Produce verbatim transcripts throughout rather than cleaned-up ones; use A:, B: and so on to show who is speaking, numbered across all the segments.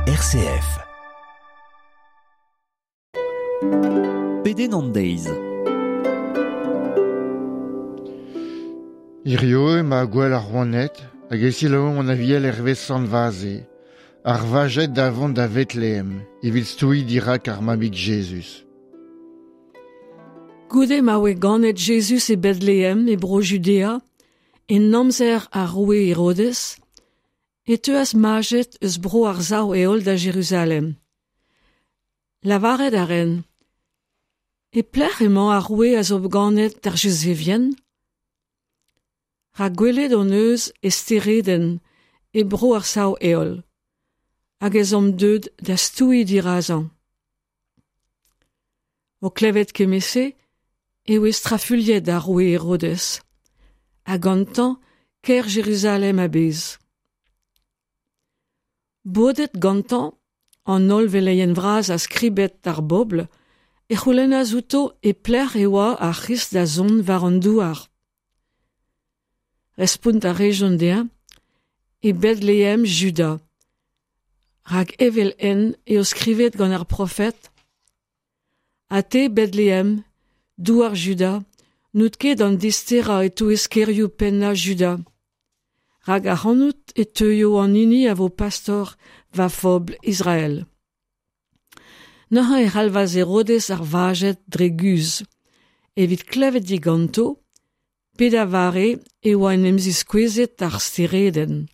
A: R C F. Pedenn an deiz.
B: Hirio ema gwell ar rouaned hag e selaouomp an aviel hervez Sant Vaze, ar vajed da vont da Vetlehem, evit stouiñ dirak ar mabig Jezuz.
C: Goude ma oe ganet Jezuz e Bethlehem e bro Judea, en amzer ar roue Herodes, e teuas majed eus bro ar sav heol da Jeruzalem. Lavaret a ren, e pelec'h emañ ar roue a zo ganet d'ar Juzevien? Rak gwelet hon eus e steredenn e bro ar sav heol, hag ez omp deuet da stouiñ dirazañ. O klevet kement-se e oe strafuilhet ar roue Herodes, ha gantañ kêr Jeruzalem a-bezh. Bodet gantañ an holl veleien vras ha skribed ar bobl e c'houlennas outo e pelec'h e oa ar C'hrist da zont war an douar. Respont a rejont dezhañ e Bethlehem Juda, rak evel-henn eo skrivet gant ar profed: Ha te, Bethlehem, douar Juda, n'out ket an disterañ e-touez kêrioù pennañ Juda. Rak ac'hanout e teuio an hini a vo pastor va fobl Israel. Neuze e c'halvas Herodes ar vajed dre guzh, evit klevet diganto, pe da vare e oa en em ziskouezet ar steredenn.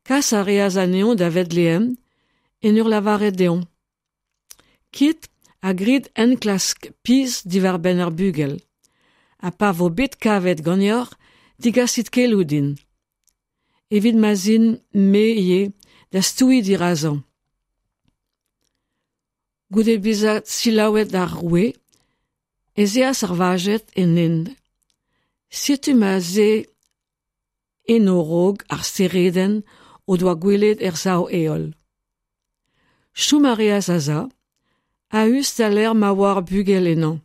C: Kas a reas anezhañ da Vetlehem en ur lavaret dezhañ: Kit ha grit enklask pizh diwar-benn ar bugel, ha pa vo bet kavet ganeoc'h, digasit keloù din, evit ma'z in me ivez da stouiñ dirazañ. Goude bezañ selaouet ar roue, ez eas ar vajed en hent. Setu ma'z eo en o raok ar steredenn o doa gwelet er sav-heol. Chom a reas a-sav, a-us da lec'h ma oa ar bugel ennañ.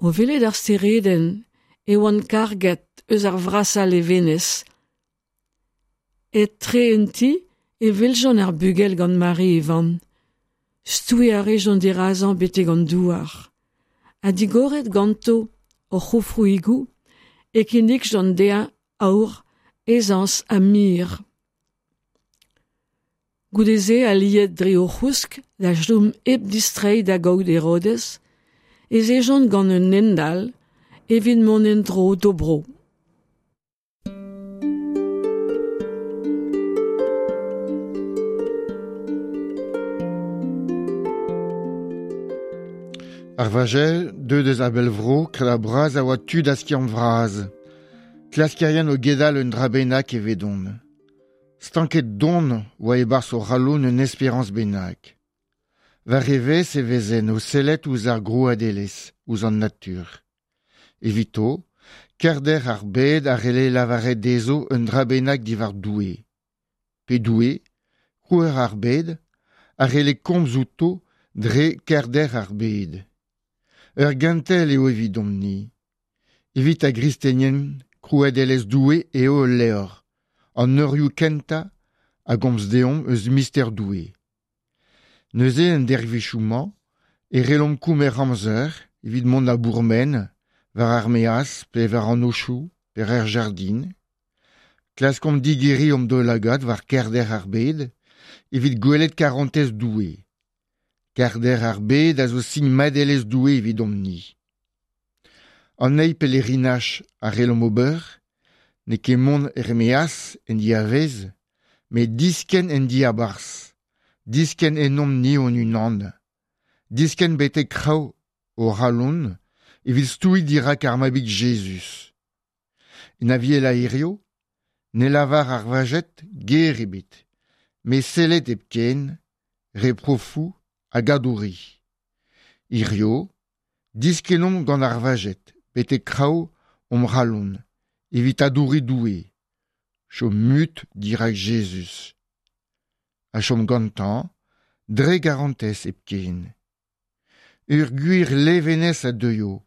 C: O welet ar steredenn e oant karget eus ar vrasañ levenez. Etre un ti e weljont ar bugel gant Mari e vamm. Stouiñ a rejont dirazañ betek an douar. Ha digoret ganto o c'houfroùigoù e kinnigjont dezhañ aour, ezañs ha mir. Goude-se aliet dre o c'housk da chom hep distreiñ da gaout Herodes, ez ejont gant un hent all evit mont en-dro d'o bro.
B: Ar vajed, deuet eus a bell vro, kred bras a oa tud a skiant vras. Klaskerien o gedal un dra bennak evedon. Stanket don oa e-barzh o c'halon un esperañs bennak. War evezh e vezen o sellet ouzh ar grouadelezh, ouzh an natur. Evito, kerder ar bed a c'helle lavaret dezho un dra bennak diwar Doue. Pe Doue, krouer ar bed, a c'helle komz outo dre kerder ar bed. Ur gentel eo evidomp-ni. Evit ar gristenien, krouadelezh Doue eo ul levr, an eurioù kentañ a gomz deomp eus mister Doue. Neuze en dervezhioù-mañ e c'hellomp kemer amzer evit mont da bourmen, war ar maez pe war an aochoù pe er jardin. Klaskomp digeriñ omp daoulagad war kerder ar bed evit gwelet karantez Doue. Kerder ar bed a zo sin madelezh Doue evidomp-ni. An eil pelerinaj a c'hellomp ober, n'eo ket mont er maez en diavez, met diskenn en diabarzh, diskenn ennomp-ni hon-unan, diskenn betek kraou o c'halon evit stouiñ dirak ar mabig Jezuz. En aviel a hirio, ne lavar ar vajed ger ebet, met sellet hepken, reprofoù hag adouri. Hirio, diskennomp gant ar vajed betek kraou hon c'halon, evit adouri Doue. Chom mut dirak Jezuz. Ha chom gantañ, dre garantez hepken. Ur gwir levenez a deuio,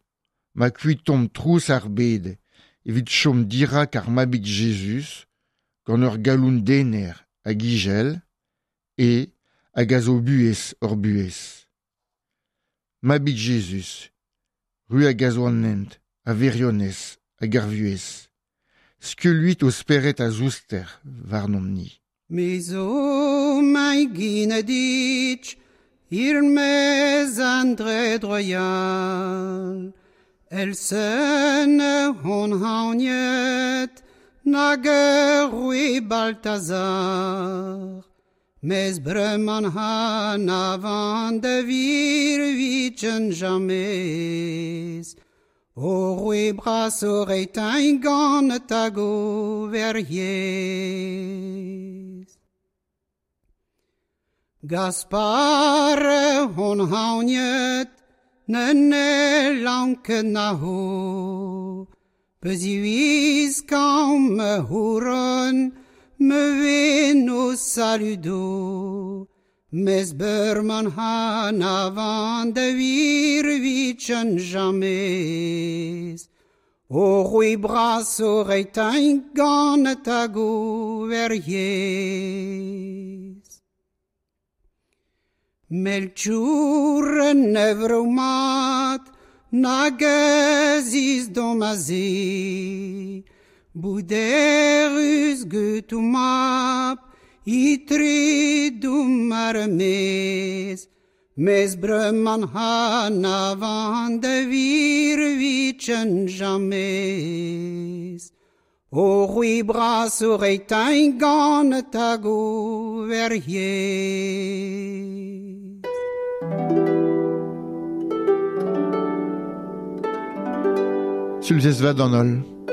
B: ma kuitomp trouz ar bed, evit chom dirak ar mabig Jezuz, gant ur galon dener hag ijel, e hag a zo buhez hor buhez. Mabig Jezuz, ru hag a zo an hent, a wirionez hag ar vuhez. Skulluit o spered a zouster warnomp-ni.
A: Me zo mai ginedic, il mez André Droyal. El sen hon haoniet, nag roue Balthazar. Mez breman han avant de virvichen jamez. O roue bras o reitain gant tago verriez. Gaspar hon haoniet, ne lanke na ho. Peziwiz kam me houron, me veno saludo. Mes berman han avant de virvichen jamez. O roue bras o reitain gant tago verriez. Melchur nevromat, nag ez domaze, Bouderus gutumap, itri dumarmez, Mes breman han avant de virvichen jamez. O roue bras o reitain gant tago verriez.
B: Sulzez vat an holl.